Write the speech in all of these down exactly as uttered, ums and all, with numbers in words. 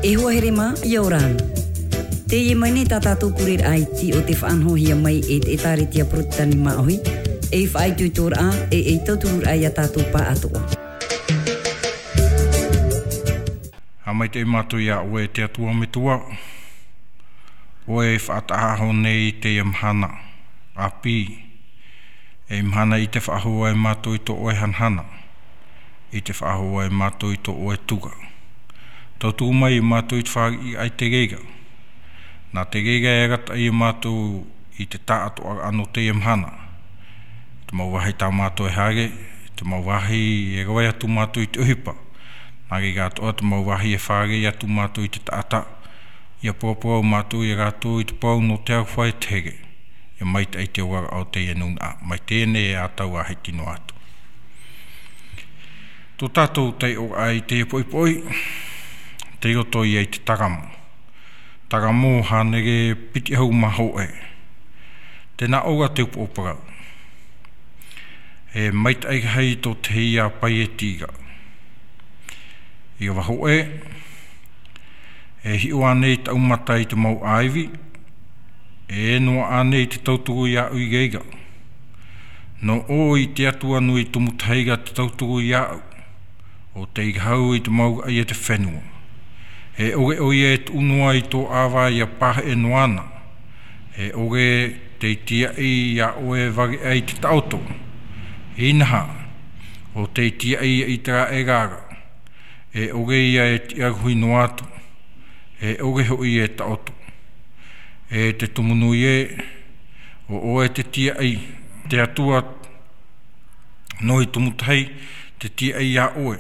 E hoa here mā, ʻia ora na. Teie mai nei tā tātou pureraʻa iti o te faʻanahohia mai e te ʻĒtārētia Porotetani Māʻohi, ei faʻaitoitoraʻa, e ei tautururaʻa ia tātou pāʻatoʻa. ʻA maitaʻi mātou iā ʻoe te Atua Metua, ʻoe e faʻataʻaho nei teie mahana, ʻāpī, ei mahana i te faʻahou ai mātou i tō ʻoe hanahana, i te faʻahou ai mātou i tō ʻoe tuga. Tautuku mai mātou i te fāriʻiraʻa i te reira. Nā te reira e arataʻi ia mātou i te taʻatoʻaraʻa nō teie mahana. Te mau vāhi tā mātou e haere, te mau vāhi e rave atu mātou i te ʻohipa. Nā reira atoʻa te mau vāhi e fārerei atu mātou i te taʻata. ʻIa paraparau mātou ia rātou i te parau nō te aroha e te here. ʻIa maitaʻi te oraraʻa o teie nūnaʻa, mai teie nei e ʻatau ā hiti noa atu. Tō tātou taiʻoraʻa i teie poʻipoʻi, tei roto ia i te taramo. Taramo hānere piti ʻahuru mā hōʻē. Tē nā ʻō ra te upoʻo parau. E maitaʻi rahi tō te hia paieti ra. ʻIa vā hōʻē, e hiʻo ānei taʻu mata i te mau ʻāivi, e noaʻa ānei te tauturu iāʻu i reira. Nō ʻō i te Atua nui tumu tahi ra te tauturu iāʻu, ʻo tei rahu i te mau raʻi e te fenua. E ʻore ʻoia e tuʻu noa i tō ʻāvae ʻia pāheʻe noa na. E ʻore tei tīaʻi iā ʻoe e vare aʻe i te taʻoto. Inaha, ʻo tei tīaʻi ia ʻĪteraʻera ra. E ʻore ia e tiʻaruhi noa atu. E ʻore hoʻi e taʻoto. E te tumu nui ē, ʻo ʻoe te tīaʻi, te Atua nui tumu tahi, te tīaʻi iā ʻoe.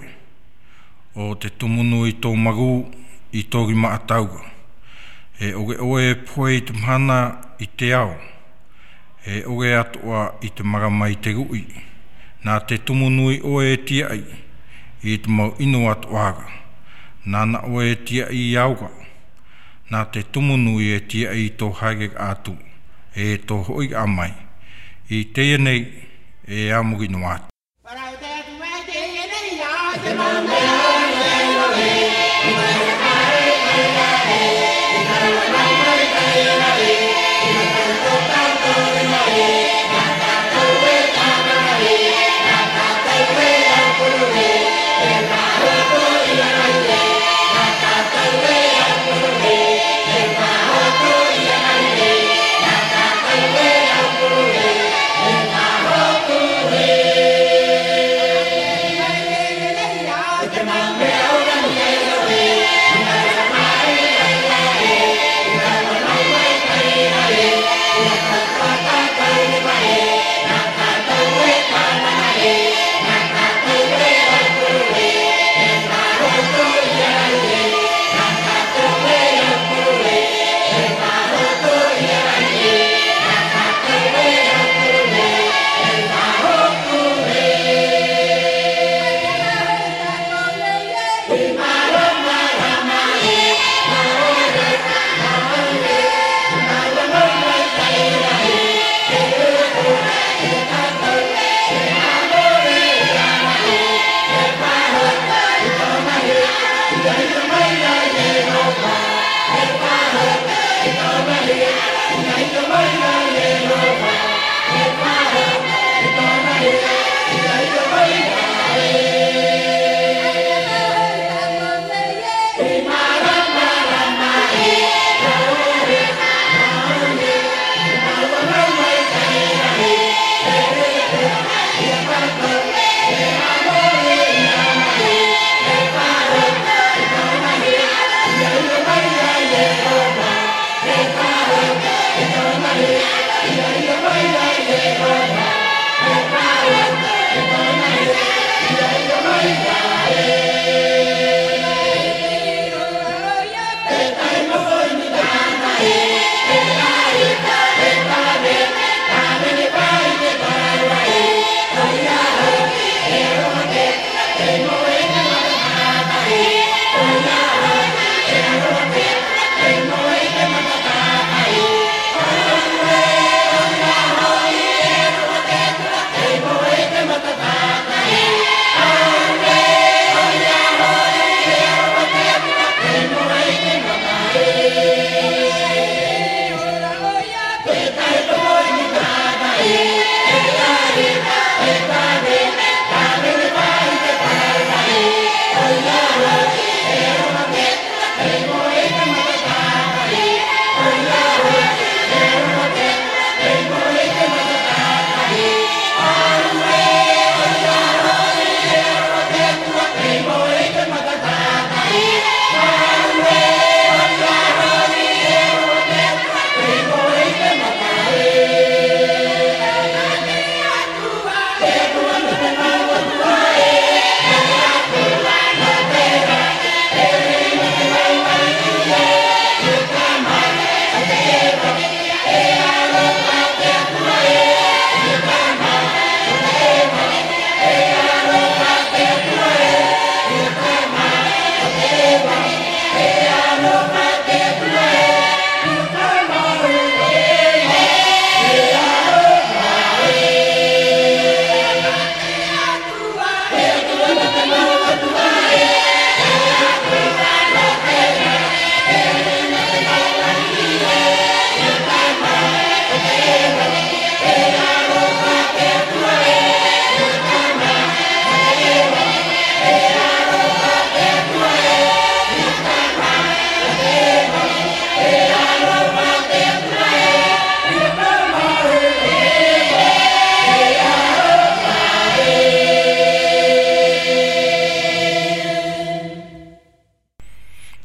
ʻO te tumu nui tō Maru i tō rima ʻatau ra. E ʻore ʻoe e pohe i te mahana i te ao. E ʻore atoʻa i te marama i te ruʻi. Nā te tumu nui ʻoe e tīaʻi i te mau ʻino atoʻa ra. Nāna ʻoe e tīaʻi i ao ra. Nā te tumu nui e tīaʻi i tō haereraʻa atu, e tō hoʻiraʻa mai. I teie nei, e a muri noa atu.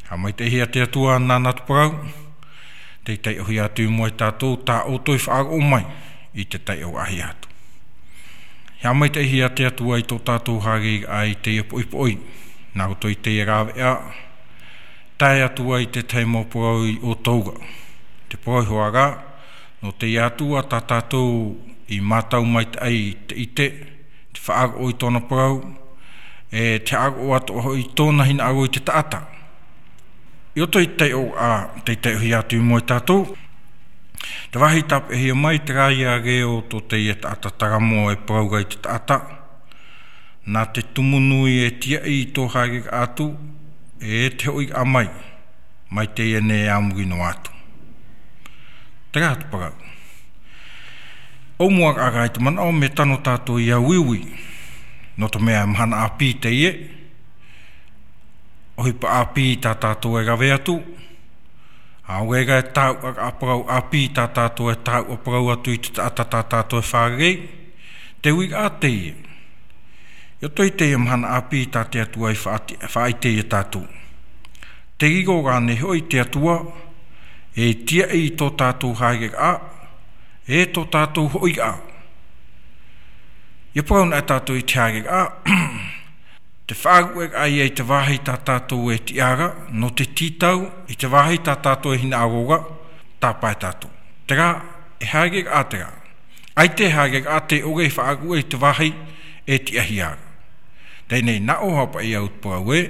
Haʻamaitaʻihia te Atua nāna te parau, tei taiʻohia atu i mua ia tātou tā ʻoutou i faʻaroʻo mai i te taiʻoraʻahia atu. Haʻamaitaʻihia te Atua i tō tātou haereraʻa i teie poʻipoʻi, nā roto i teie rāveʻa, tae atu ai i te tahi mau parau i ʻoutou ra. Te parau iho ā, nō teie atu ā tā tātou i mātau maitaʻi i te ʻite, te faʻaroʻo i tōna parau, e te faʻaroʻo atoʻa hoʻi i tōna hinaʻaro i te taʻata. I roto i te taiʻoraʻa, tei taiʻohia atu i mua ia tātou, te vāhi tāpeʻahia mai, terā ïa reo tō teie taʻata Taramo e parau ra i te taʻata, nā te tumu nui e tiaʻi i tō haereraʻa atu, e te hoʻiraʻa mai, mai teie nei ā muri noa atu. Terā te parau. ʻOumuaraʻa i te manaʻo mea tano tātou ʻia uiui, nō te mea mahana ʻāpī teie, ʻohipa ʻāpī tā tātou e rave atu, ʻaore rā e tāuʻaraʻa parau ʻāpī tā tātou e tāuʻa parau atu i te taʻata tā tātou e fārerei, te uiraʻa teie. I roto i teie mahana ʻāpī tā te Atua i faʻati-, faʻaʻite ia tātou. Tē riro rānei hoʻi te Atua, e tiaʻi i tō tātou haereraʻa, e tō tātou hoʻiraʻa. ʻIa parau anaʻe tātou i te haereraʻa, te faʻaruʻeraʻa ïa i te vāhi tā tātou e tiʻa ra, nō te tītau i te vāhi tā tātou e hinaʻaro ra, tāpae tātou. Terā, e haereraʻa terā. ʻAita e haereraʻa tē ʻore e faʻaruʻe i te vāhi e tiʻahia ra. Teie nei nā ʻō hoʻi paʻi au te parau ē,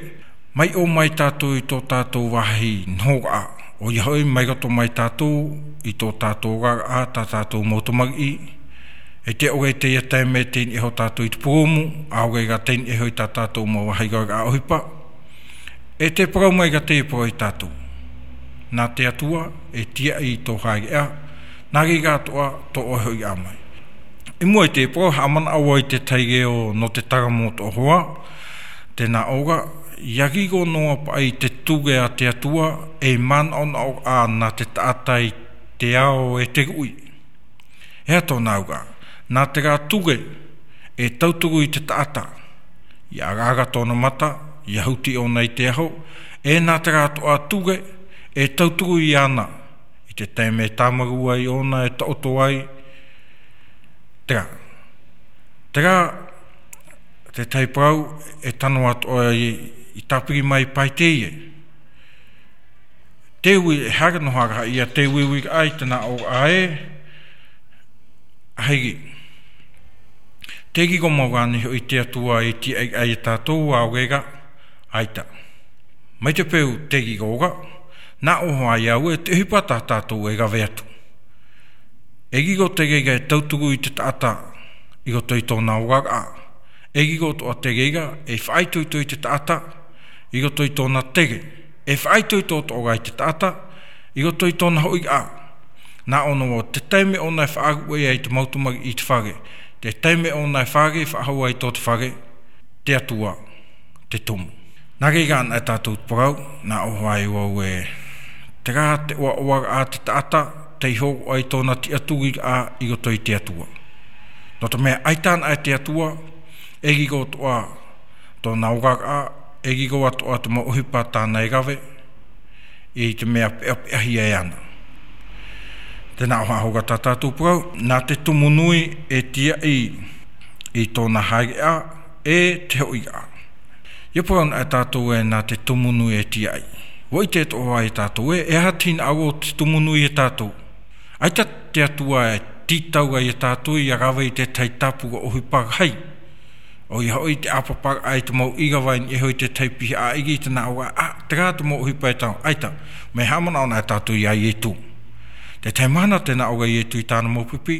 mai ʻō mai tātou i tō tātou vāhi nohoraʻa, ʻoia hoʻi mai roto mai tātou i tō tātou oraraʻa, tā tātou mau tamariʻi, e tē ʻore i teie taime tei niʻa iho tātou i te purūmu, ʻaore rā tei niʻa iho i tā tātou mau vāhi oraraʻa ʻohipa. E tē parau mai ra teie parau ia tātou. Nā te Atua, e tiaʻi i tō haereʻa, nā reira atoʻa tō ʻoe hoʻiraʻa mai. I mua i te parau, haʻamanaʻo vau i te tahi reo nō te Taramo atoʻa hoʻi, tē nā ʻō ra, ʻia riro noa paʻi te ture a te Atua, ei manaʻonaʻoraʻa nā te taʻata i te ao e te ruʻi. E aha tōna auraʻa? Nā terā ture e tauturu i te taʻata, ʻia ʻaraʻara tōna mata, ʻia huti ʻōna i te aho, e nā terā atoʻa ture e tauturu iāna i te taime e tāmarū ai ʻōna, e taʻoto ai. Terā, terā te tahi parau e tano atoʻa i, i tāpiri mai paʻi teie. Te ui, e haere noa ra ïa te uiuiraʻa i te nā ʻōraʻa ē, ʻaita. Tē riro mau rānei hoʻi te Atua i te tiaʻiraʻa ia tātou, ʻaore rā, ʻaita. Mai te peu tē riro ra, nā ʻō hoʻi au ē, te ʻohipa tā tātou e rave atu. E riro te reira e tauturu i te taʻata i roto i tōna oraraʻa. E riro atoʻa te reira e faʻaitoito i te taʻata i roto i tōna tere. E faʻaitoito atoʻa rā i te taʻata i roto i tōna hoʻiraʻa. Nā ʻō noa vau, te taime ʻōna e faʻaruʻe ai te mau tamariʻi i te fare, te taime ʻōna e fārerei faʻahou ai tō te fare, te Atua te tumu. Nā reira anaʻe tātou te parau, nā ʻō hoʻi au ē, terā te ʻoaʻoaraʻa a te taʻata tei hōroʻa i tōna tiʻaturiraʻa i roto i te Atua. Nō te mea ʻaita anaʻe te Atua, e riro atoʻa tōna oraraʻa, e riro atoʻa te mau ʻohipa tāna e rave, i te mea peʻapeʻahia e ana. Tē nā ʻō hoʻi ra tā tātou parau, nā te tumu nui e tiaʻi i tōna haereʻa, e te hoʻiraʻa. ʻIa parau anaʻe tātou ē nā te tumu nui e tiaʻi. ʻUa ʻite atoʻa vau ia tātou ē, e aha te hinaʻaro o te tumu nui ia tātou. ʻAita te Atua e tītau ai ia tātou ʻia rave i te tahi tāpura ʻohipa rahi. ʻOia hoʻi te ʻāpaparaʻa i te mau ʻīrava i niʻa iho i te tahi piha ʻāʻiri, tē nā ʻō ra, ā, terā te mau ʻohipa e tano, ʻaita, mea haʻamanaʻo anaʻe tātou ia Ietu. Te tahi mahana tē nā ʻō ra Ietu i tāna mau pipi,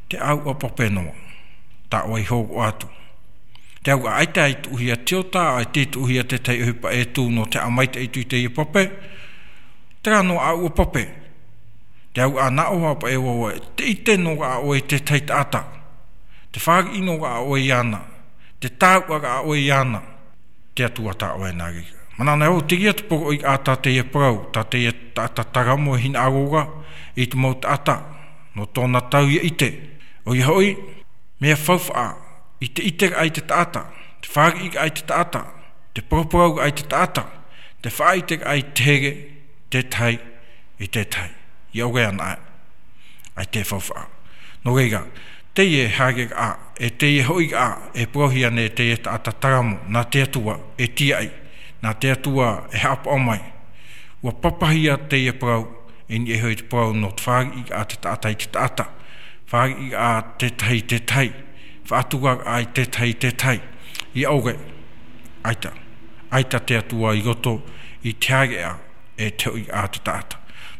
te ʻāuʻa pape noa, tā ʻoe i hōroʻa atu. Te auraʻa ʻaita i tuʻuhia te ota, ʻaita i tuʻuhia te tahi ʻohipa e tū nō te haʻamaitaʻi atu i teie pape, terā noa ʻāuʻa pape. Te auraʻa nā ʻō hoʻi paʻi au ē, te ʻite noa ra ʻoe i te tahi taʻata, te fāriʻi noa ra ʻoe iāna, te tāuʻa ra ʻoe iāna, te Atua tā ʻoe nā reira. Manaʻo anaʻe vau, terā te poroʻi ā tā teie parau, tā teie taʻata Taramo e hinaʻaro ra i te mau taʻata nō tōna tau ʻia ʻite. ʻOia hoʻi, mea faufaʻa i te ʻiteraʻa i te taʻata, te fāriʻiraʻa i te taʻata, te paraparau i te taʻata, Te faʻaʻite ai te here, te tahi, i te tahi. ʻIa ʻore ana ai, ai te faufaʻa. Nō reira, teie haereraʻa, e teie hoʻiraʻa, e parauhia nei teie taʻata taramo, nā te Atua, e tiaʻi, nā te Atua, e haʻapaʻo mai. ʻUa papahia teie parau, i niʻa iho i te parau nō te fāriʻiraʻa te taʻata i te taʻata. Fāriʻiraʻa te tahi i te tahi. Faʻaturaraʻa i te tahi i te tahi. ʻIa ʻore, ʻaita, ʻaita te Atua i roto i te haereʻa e te hoʻiraʻa te taʻata.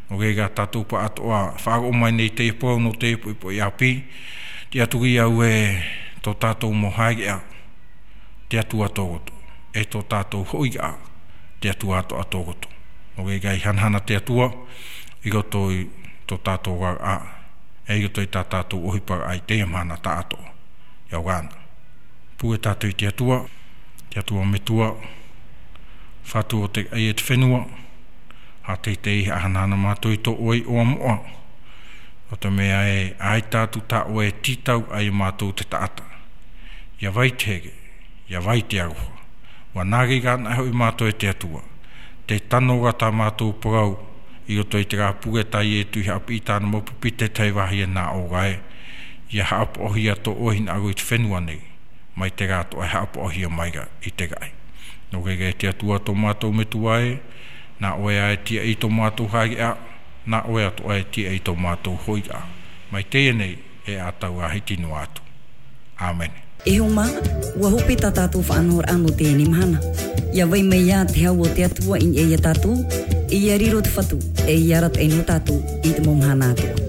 Nō reira tātou pāʻatoʻa, faʻaroʻo mai nei teie parau nō teie poʻipoʻi ʻāpī, tiʻaturi au e tō tātou mau haereʻa, te Atua tō roto, e tō tātou hoʻiraʻa, te Atua atoʻa tō roto. Nō reira ʻia hanahana te Atua, i roto i tō tātou oraraʻa, e i roto i tā tātou ʻohiparaʻa i teie mahana tāʻatoʻa. ʻIa ora na. Pure tātou i te Atua, te Atua Metua, Fatu o te raʻi e te fenua, haʻateitei haʻahanahana mātou i tō ʻoe iʻoa moʻa. ʻO te mea ē, ʻaita atu tā ʻoe e tītau ai mātou te taʻata. ʻIa vai te here, ʻia vai te aroha. ʻUa nā reira anaʻe hoʻi mātou e te Atua. Tē tano ra tā mātou parau, i roto i te rā pure tā Ietu i haʻapiʻi tāna mau pipi te tahi vāhi e nā ʻō ra ē. ʻIa haʻapaʻohia tō ʻoe hinaʻaro i te fenua nei. Mai te rā atoʻa e haʻapaʻohia mai ra i te raʻi. Nō reira e te Atua tō mātou Metua ē, nā ʻoe ā e tiaʻi i tō mātou haereʻa, nā ʻoe atoʻa e tiaʻi i tō mātou hoʻiraʻa. Mai teie nei e ʻatau ā hiti noa atu. ʻĀmene. E hoa mā, ʻua hope tā tātou faʻanahoraʻa nō teie nei mahana. ʻIa vai mai ā te hau o te Atua i niʻa ia tātou, ʻia riro te Fatu, e ʻia arataʻi noa tātou i te mau mahana atoʻa.